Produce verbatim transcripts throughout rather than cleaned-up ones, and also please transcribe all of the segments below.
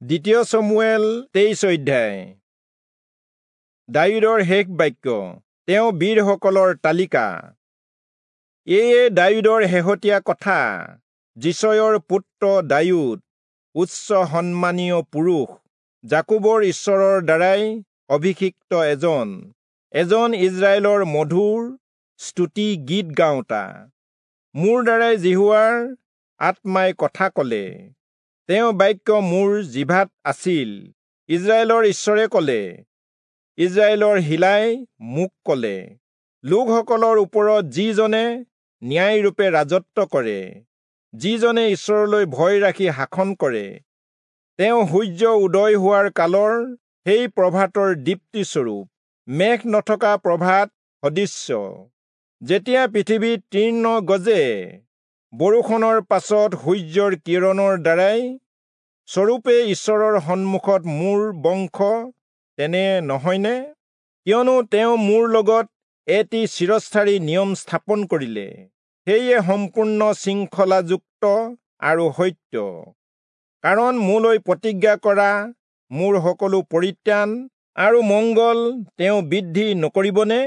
দ্বিতীয় চমূৱেল তেইশ অধ্যায়। দায়ূদৰ শেষ বাক্য, তেওঁ বীৰসকলৰ তালিকা। এয়ে দায়ূদৰ শেহতীয়া কথা। যিচয়ৰ পুত্ৰ দায়ূদ, উচ্চ সন্মানীয় পুৰুষ, যাকোবৰ ঈশ্বৰৰ দ্বাৰাই অভিষিক্ত এজন, এজন ইস্ৰায়েলৰ মধুৰ স্তুতি গীত গাওঁতা। মোৰ দ্বাৰাই যিহোৱাৰ আত্মাই কথা কলে, তেওঁ বাক্য মোৰ জিভাত আছিল। ইস্ৰায়েলৰ ঈশ্বৰে কলে, ইস্ৰায়েলৰ শিলাই মোক কলে, লোকসকলৰ ওপৰত যিজনে ন্যায়ৰূপে ৰাজত্ব কৰে, যিজনে ঈশ্বৰলৈ ভয় ৰাখি শাসন কৰে, তেওঁ সূৰ্য উদয় হোৱাৰ কালৰ সেই প্ৰভাতৰ দীপ্তিস্বৰূপ, মেঘ নথকা প্ৰভাত সদৃশ্য। যেতিয়া পৃথিৱীত তৃণ গজে, বৰষুণৰ পাছত সূৰ্যৰ কিৰণৰ দ্বাৰাই, স্বৰূপে ঈশ্বৰৰ সন্মুখত মোৰ বংশ তেনে নহয়নে? কিয়নো তেওঁ মোৰ লগত এটি চিৰস্থায়ী নিয়ম স্থাপন কৰিলে, সেয়ে সম্পূৰ্ণ শৃংখলাযুক্ত আৰু সত্য। কাৰণ মোলৈ প্ৰতিজ্ঞা কৰা মোৰ সকলো পৰিত্ৰাণ আৰু মংগল তেওঁ বৃদ্ধি নকৰিবনে?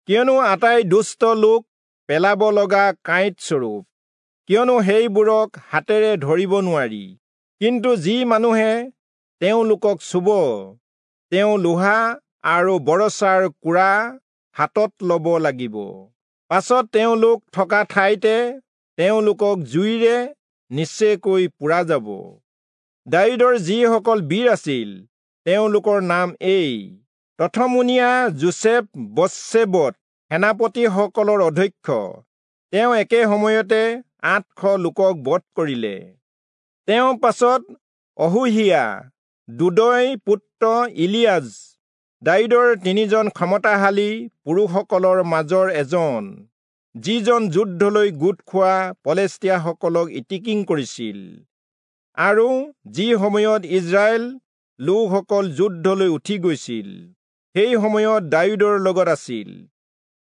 কিয়নো আটাই দুষ্ট লোক পেলাব লগা কাঁইট স্বৰূপ, কিয়নো সেইবোৰক হাতেৰে ধৰিব নোৱাৰি। কিন্তু যি মানুহে তেওঁলোকক চুব, তেওঁ লোহা আৰু বৰছাৰ কোৰা হাতত ল'ব লাগিব। পাছত তেওঁলোক থকা ঠাইতে তেওঁলোকক জুইৰে নিশ্চয়কৈ পোৰা যাব। দায়ূদৰ যিসকল বীৰ আছিল, তেওঁলোকৰ নাম এই: প্ৰথমমুনীয়া যোচেফ বচ্চেবত, সেনাপতিসকলৰ অধ্যক্ষ, তেওঁ একে সময়তে আঠশ লোকক বধ কৰিলে। তেওঁ পাছত অহোহীয়া দুদয় পুত্ৰ ইলিয়াজ, দায়ূদৰ তিনিজন ক্ষমতাশালী পুৰুষসকলৰ মাজৰ এজন, যিজন যুদ্ধলৈ গোট খোৱা পলেষ্টীয়াসকলক ইটিকিং কৰিছিল, আৰু যি সময়ত ইস্ৰায়েল লোকসকল যুদ্ধলৈ উঠি গৈছিল, সেই সময়ত দায়ূদৰ লগত আছিল।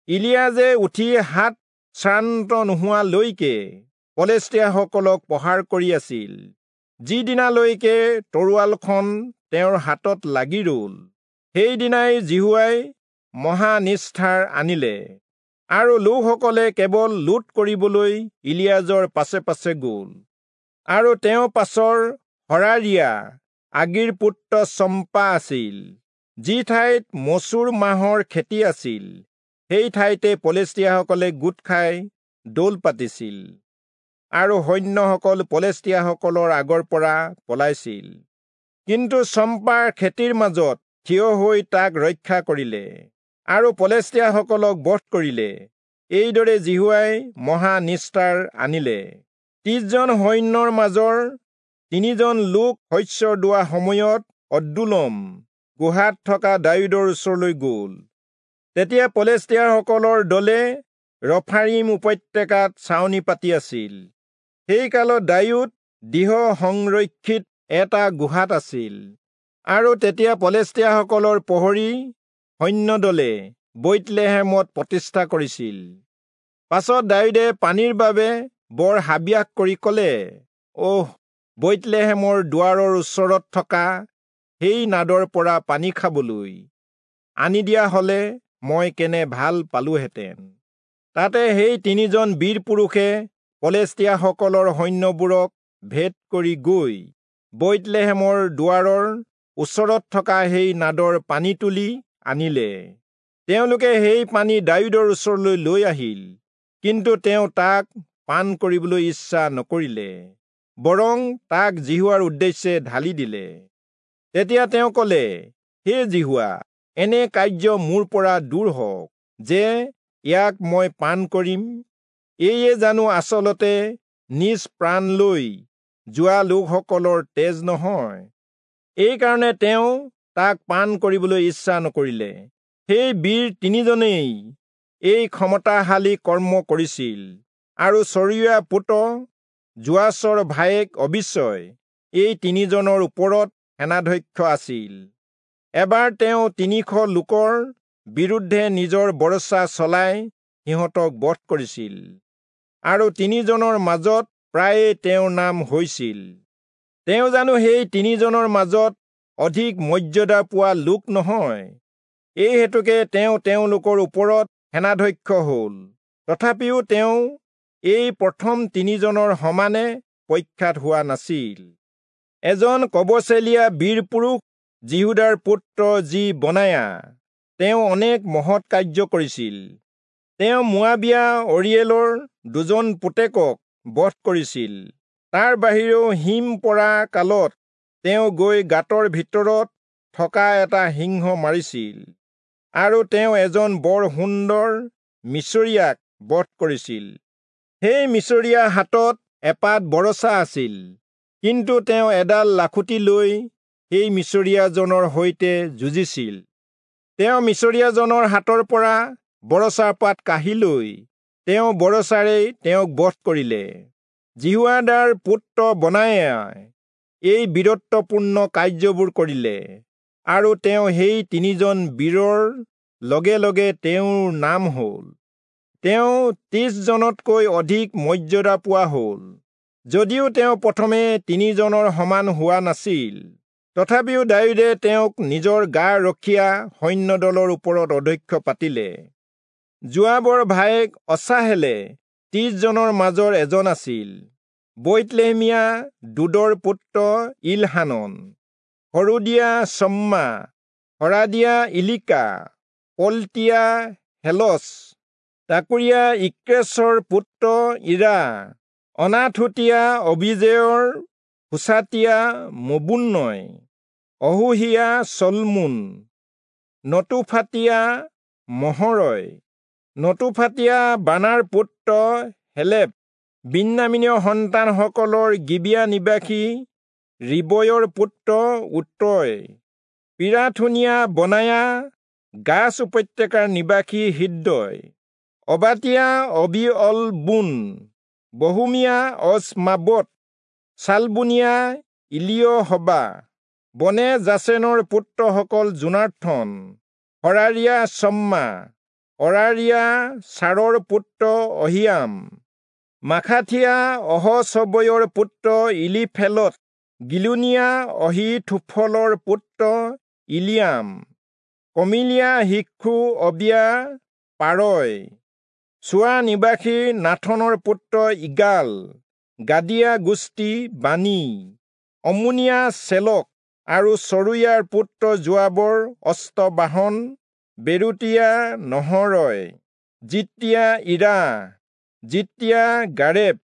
ইলিয়াজে উঠি হাত শ্ৰান্ত নোহোৱালৈকে পলেষ্টীয়াসকলক প্ৰহাৰ কৰি আছিল, যিদিনালৈকে তৰোৱালখন তেওঁৰ হাতত লাগি ৰল, সেইদিনাই যিহোৱাই মহানিষ্ঠাৰ আনিলে। আৰু লোকসকলে কেৱল লুট কৰিবলৈ ইলিয়াজৰ পাছে পাছে গল। আৰু তেওঁ পাছৰ হৰাৰিয়া আগিৰ পুত্ৰ চম্পা আছিল, যি ঠাইত মচুৰ মাহৰ খেতি আছিল, সেই ঠাইতে পলেষ্টীয়াসকলে গোট খাই দৌল পাতিছিল, আৰু সৈন্যসকল পলেষ্টীয়াসকলৰ আগৰ পৰা পলাইছিল। কিন্তু চম্পাৰ খেতিৰ মাজত থিয় হৈ তাক ৰক্ষা কৰিলে আৰু পলেষ্টীয়াসকলক বধ কৰিলে। এইদৰে যিহোৱাই মহানিষ্ঠাৰ আনিলে। ত্ৰিশজন সৈন্যৰ মাজৰ তিনিজন লোক শস্য দোৱা সময়ত অদ্দুলম গুহাত থকা দায়ূদৰ ওচৰলৈ গল। তেতিয়া পলেষ্টীয়াসকলৰ দলে ৰফাৰিম উপত্যকাত ছাউনি পাতি আছিল। সেই কালত দায়ূদ দৃঢ় সংৰক্ষিত এটা গুহাত আছিল। আৰু তেতিয়া পলেষ্টীয়াসকলৰ প্ৰহৰী সৈন্যদলে বৈৎলেহেমত প্ৰতিষ্ঠা কৰিছিল। পাছত দায়ূদে পানীৰ বাবে বৰ হাবিয়াস কৰি কলে, অহ, বৈৎলেহেমৰ দুৱাৰৰ ওচৰত থকা সেই নাদৰ পৰা পানী খাবলৈ আনি দিয়া হলে মই কেনে ভাল পালোহেঁতেন। তাতে সেই তিনিজন বীৰ পুৰুষে পলেষ্টীয়াসকলৰ সৈন্যবোৰক ভেদ কৰি গৈ বৈৎলেহেমৰ দুৱাৰৰ ওচৰত থকা সেই নাদৰ পানী তুলি আনিলে। তেওঁলোকে সেই পানী দায়ূদৰ ওচৰলৈ লৈ আহিল, কিন্তু তেওঁ তাক পান কৰিবলৈ ইচ্ছা নকৰিলে, বৰং তাক যিহোৱাৰ উদ্দেশ্যে ঢালি দিলে। তেতিয়া তেওঁ কলে, হে যিহোৱা, এনে কাৰ্য মোৰ পৰা দূৰ হওক যে ইয়াক মই পান কৰিম। এয়ে জানো আচলতে নিজ প্ৰাণ লৈ যোৱা লোকসকলৰ তেজ নহয়? এইকাৰণে তেওঁ তাক পান কৰিবলৈ ইচ্ছা নকৰিলে। সেই বীৰ তিনিজনেই এই ক্ষমতাশালী কৰ্ম কৰিছিল। আৰু চৰিয়া পুত্ৰ যোৱাচৰ ভায়েক অবিচয় এই তিনিজনৰ ওপৰত সেনাধ্যক্ষ আছিল। এবাৰ তেওঁ তিনিশ লোকৰ বিৰুদ্ধে নিজৰ বৰছা চলাই সিহঁতক বধ কৰিছিল, আৰু তিনিজনৰ মাজত প্ৰায়ে তেওঁৰ নাম হৈছিল। তেওঁ জানো সেই তিনিজনৰ মাজত অধিক মৰ্যাদা পোৱা লোক নহয়? এই হেতুকে তেওঁ তেওঁলোকৰ ওপৰত সেনাধ্যক্ষ হ'ল। তথাপিও তেওঁ এই প্ৰথম তিনিজনৰ সমানে প্ৰখ্যাত হোৱা নাছিল। এজন কবচেলীয়া বীৰ পুৰুষ যিহূদাৰ পুত্ৰ যি বনায়া, তেওঁ অনেক মহৎ কাৰ্য কৰিছিল। তেওঁ মোৱাবীয়া অৰিয়েলৰ দুজন পুতেকক বধ কৰিছিল। তাৰ বাহিৰেও হিম পৰা কালত তেওঁ গৈ গাঁতৰ ভিতৰত থকা এটা সিংহ মাৰিছিল, আৰু তেওঁ এজন বৰ সুন্দৰ মিচৰীয়াক বধ কৰিছিল। সেই মিচৰীয়া হাতত এপাত বৰছা আছিল, কিন্তু তেওঁ এডাল লাখুটি লৈ সেই মিচৰীয়াজনৰ সৈতে যুঁজিছিল। তেওঁ মিচৰীয়াজনৰ হাতৰ পৰা বৰছাপাত কাঢ়ি লৈ তেওঁ বৰছাৰেই তেওঁক বধ কৰিলে। যিহোয়াদাৰ পুত্ৰ বনায়াই এই বীৰত্বপূৰ্ণ কাৰ্যবোৰ কৰিলে, আৰু তেওঁ সেই তিনিজন বীৰৰ লগে লগে তেওঁৰ নাম হ'ল। তেওঁ ত্ৰিশজনতকৈ অধিক মৰ্যাদা পোৱা হ'ল, যদিও তেওঁ প্ৰথমে তিনিজনৰ সমান হোৱা নাছিল। তথাপিও দায়ূদে তেওঁক নিজৰ গা ৰখীয়া সৈন্যদলৰ ওপৰত অধ্যক্ষ পাতিলে। যোৱাবৰ ভায়েক অচাহেলে ত্ৰিশজনৰ মাজৰ এজন আছিল। বৈৎলেহেমীয়া দুদৰ পুত্ৰ ইলহানন, হৰোদীয়া চম্মা, হৰাদীয়া ইলিকা, পলতীয়া হেলচ, তাকুৰীয়া ইক্ৰেচৰ পুত্ৰ ইৰা, অনাথোতীয়া অবিজেয়ৰ হুচাতীয়া মবুন্নয়, অহোহীয়া চলমোন, নতোফাতীয়া মহৰয়, নতোফাতীয়া বানাৰ পুত্ৰ হেলেপ, বিন্যামীনীয় সন্তানসকলৰ গিবিয়া নিবাসী ৰিবয়ৰ পুত্ৰ উত্ৰয়, পিৰাথোনীয়া বনায়া, গাছ উপত্যকাৰ নিবাসী হিদ্দয়, অবাতীয়া অবি-অল-বোন, বহূমীয়া অজমাবত, শালবোনীয়া ইলিয়হবা, বনে যাচেনৰ পুত্ৰসকল যোনাথন, হৰাৰীয়া চম্মা, অৰাৰীয়া চাৰৰ পুত্ৰ অহিয়াম, মাখাথীয়া অহচবয়ৰ পুত্ৰ ইলিফেলত, গিলোনীয়া অহীথোফলৰ পুত্ৰ ইলিয়াম, কমিলীয়া শিক্ষু অবিয়া পাৰয়, চোৱা নিবাসী নাথনৰ পুত্ৰ ইগাল, গাদীয়া গোষ্ঠী বানী, অমোনীয়া চেলক আৰু চৰুয়াৰ পুত্ৰ যোৱাবৰ অষ্টবাহন, বেৰুতীয়া নহৰয়, জিত্তীয়া ইৰা, জিত্তীয়া গাৰেব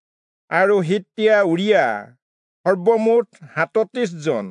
আৰু হিত্তীয়া উৰিয়া, সৰ্বমুঠ সাতত্ৰিশ জন।